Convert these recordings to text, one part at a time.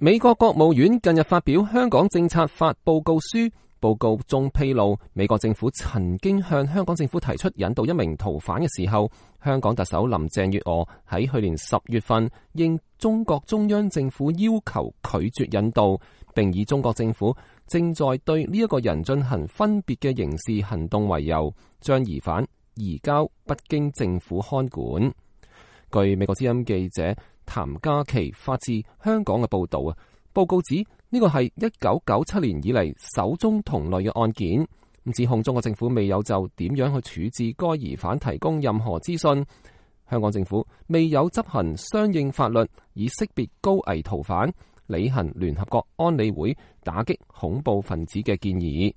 美國國務院近日發表香港政策法報告書，報告中披露，美國政府曾經向香港政府提出引渡一名逃犯嘅時候，香港特首林鄭月娥喺去年10月份應中國中央政府要求拒絕引渡，並以中國政府正在對呢一個人進行分別嘅刑事行動為由，將疑犯移交北京政府看管。據美國之音記者譚嘉琪發自香港嘅報道，報告指呢個係1997年以嚟首宗同類嘅案件，指控中國政府未有就點樣去處置該疑犯提供任何資訊，香港政府未有執行相應法律以識別高危逃犯，履行聯合國安理會打擊恐怖分子嘅建議。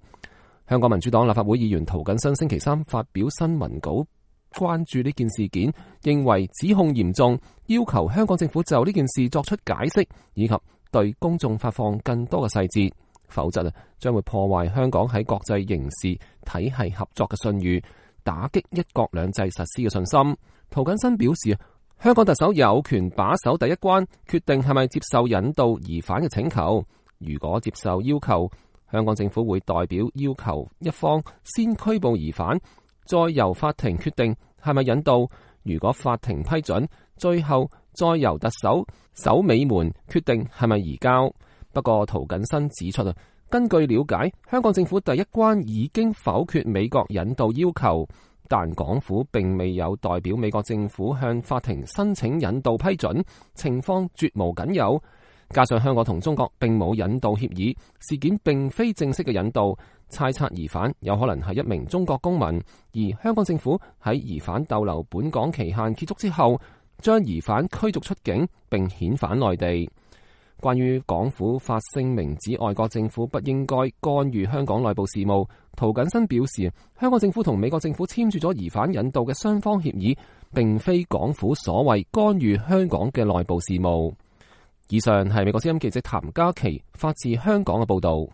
香港民主黨立法會議員涂謹申星期三發表新聞稿，關注呢件事件，認為指控嚴重，要求香港政府就呢件事作出解釋，以及對公眾發放更多嘅細節，否則將會破壞香港喺國際刑事體系合作嘅信譽，打擊一國兩制實施嘅信心。涂謹申表示，香港特首有權把守第一關，決定係咪接受引渡疑犯嘅請求。如果接受要求，香港政府會代表要求一方先拘捕疑犯，再由法庭決定係咪引渡。如果法庭批准，最後再由特首守尾門決定係咪移交。不過涂謹申指出，根據了解，香港政府第一關已經否決美國引渡要求，但港府並未有代表美國政府向法庭申請引渡批准，情況絕無僅有。加上香港同中國並冇引渡協議，事件並非正式嘅引渡，猜測疑犯有可能係一名中國公民，而香港政府喺疑犯逗留本港期限結束之後，將疑犯驅逐出境並遣返內地。關於港府發聲明指外國政府不應該干預香港內部事務，涂謹申表示，香港政府同美國政府簽署咗疑犯引渡嘅雙方協議，並非港府所謂干預香港嘅內部事務。以上係美國之音記者譚嘉琪發自香港嘅報道。